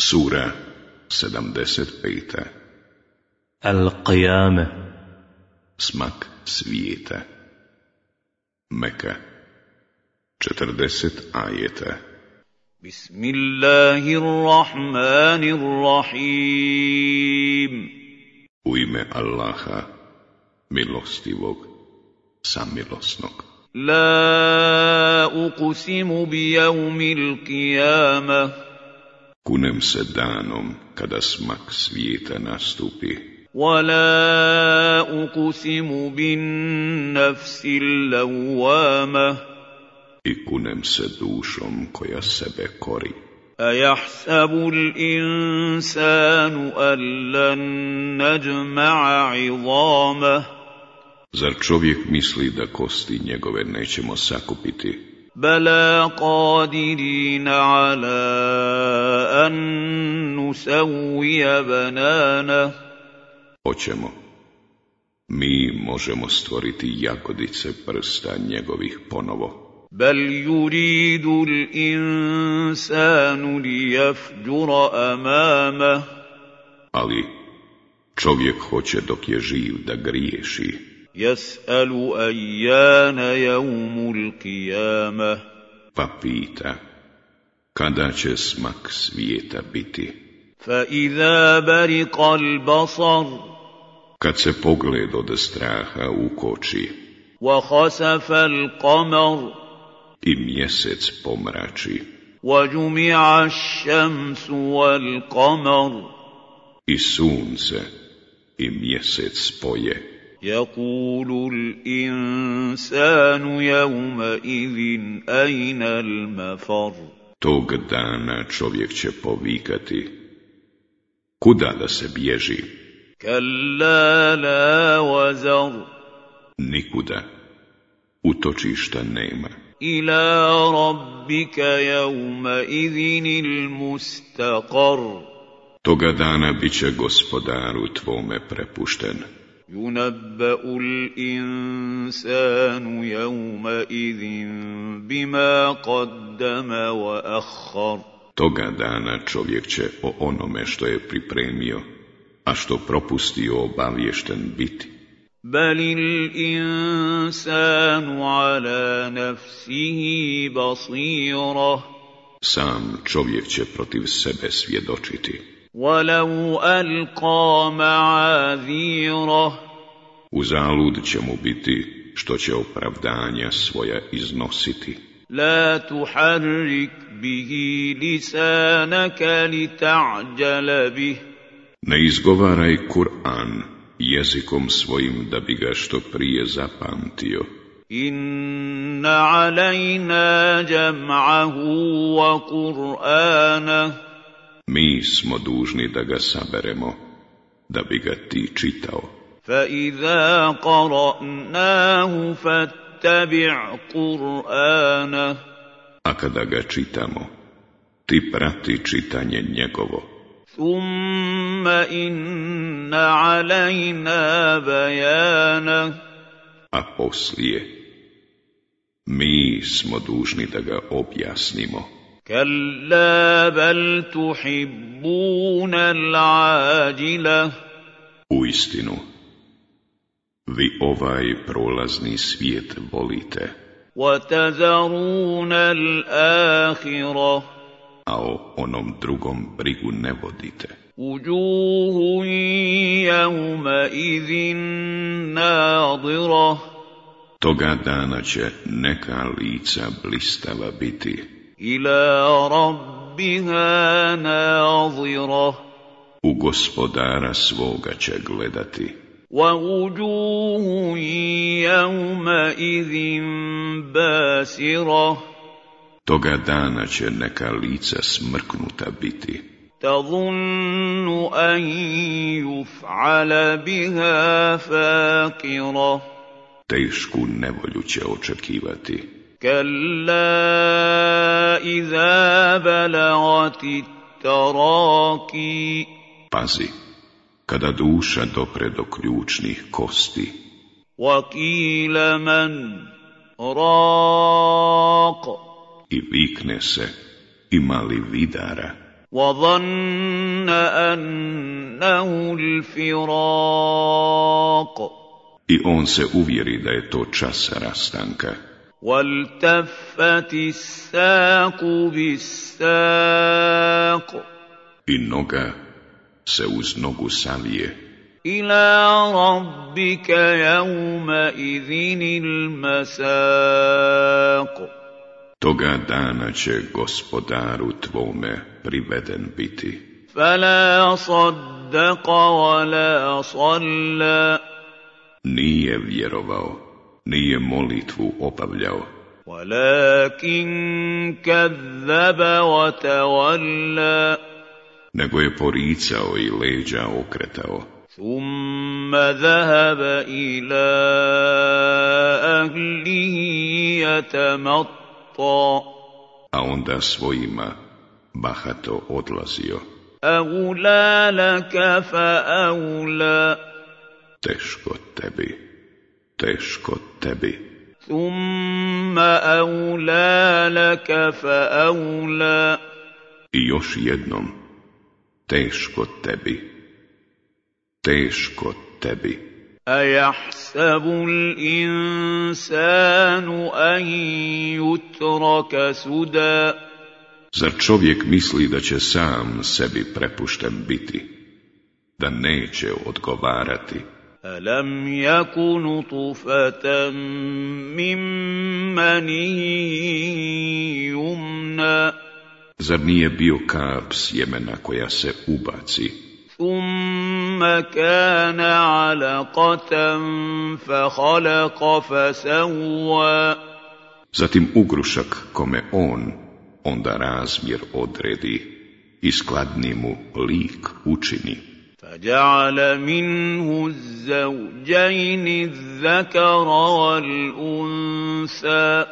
Sura 75. Al-Qiyame. Smak svijeta. Meka. 40 ajeta. Bismillahirrahmanirrahim. U ime Allaha, milostivog, samilosnog. La uqsimu bi yawmil qiyamah. Kunem se danom kada smak svijeta nastupi. Wala uqsimu bin nafsil lawwamah. I kunem se dušom koja sebe kori. Ayahsabu al-insanu an lan najma'a 'idhamah. Zar čovjek misli da kosti njegove nećemo sakupiti? Bala qadirina ala an nusawwiya banana. Hoćemo. Mi možemo stvoriti jagodice prsta njegovih ponovo. Bal yuridu al-insanu liyafjura amamah. Ali čovjek hoće dok je živ da griješi. Yas'alu ayyana yawmul qiyamah. Pa pita, kada će smak svijeta biti? Fa idha bariqa al-basar. Kad se pogled od straha ukoči. Wa khasafa al-qamar. I mjesec pomrači. Wa jumi'a ash-shamsu wal-qamar. I sunce i mjesec spoje. يقول الإنسان يومئذ أين المفر. Tog dana čovjek će povikati, kuda da se bježi? كلا لا وزر. Nikuda, utočišta nema. إلى ربك يومئذ المستقر. Toga dana bit će gospodaru tvome prepušten. ينبأ الإنسان يومئذ بما قدم وأخر. Toga dana čovjek će o onome što je pripremio, a što propustio obaviješten biti. بل الإنسان على نفسه بصيرة. Sam čovjek će protiv sebe svjedočiti. ولو ألقى معاذيره. Uzalud će mu biti što će opravdanja svoja iznositi. لا تحرك به لسانك لتعجل به. Ne izgovaraj Kur'an jezikom svojim da bi ga što prije zapamtio. إن علينا جمعه وقرآنه. Mi smo dužni da ga saberemo, da bi ga ti čitao. فإذا قرأناه فاتبع قرآنه. A kada ga čitamo, ti prati čitanje njegovo. ثم إن علينا بيانه. A poslije, mi smo dužni da ga objasnimo. كلا بل تحبون العاجلة. Uistinu, vi ovaj prolazni svijet volite, وتذرون الآخرة. a o onom drugom brigu ne vodite. وجوه يومئذ ناضرة. Toga dana će neka lica blistava biti. إلى ربها ناظرة. U gospodara svoga će gledati. ووجوه يومئذ باسرة. Toga dana će neka lica smrknuta biti. تظن أن يفعل بها فاقرة. Tešku nevolju će očekivati. كلا إذا بلغت التراقي. Pazi, kada duša dopre do ključnih kosti. وقيل من راق. I vikne se, ima li vidara? وظن أنه الفراق I on se uvjeri da je to čas rastanka. والتفت الساق بالساق I noga se uz nogu savije. إلى ربك يومئذ المساق Toga dana će gospodaru tvome priveden biti. فلا صدق ولا صلى Nije vjerovao, nije molitvu obavljao, ولكن كذب وتولى nego je poricao i leđa okretao. ثم ذهب إلى أهله يتمطى A onda svojima bahato odlazio. أولى لك فأولى Teško tebi, teško tebi. ثم أولى لك فأولى I još jednom, teško tebi, teško tebi. أيحسب الإنسان أن يترك سدى Zar čovjek misli da će sam sebi prepušten biti, da neće odgovarati? ألم يك نطفة من مني يمنى Zar nije bio kap sjemena koja se ubaci? ثم كان علقة فخلق فسوى Zatim ugrušak kome on onda razmjer odredi i skladni mu lik učini. فجعل منه الزوجين الذكر والأنثى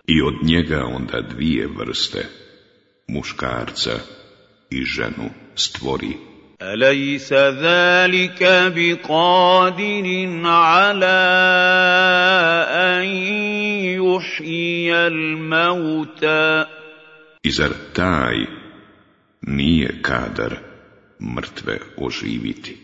I od njega onda dvije vrste, muškarca i ženu stvori. أليس ذلك بقادر على أن يحيي الموتى I zar taj nije kadar mrtve oživiti?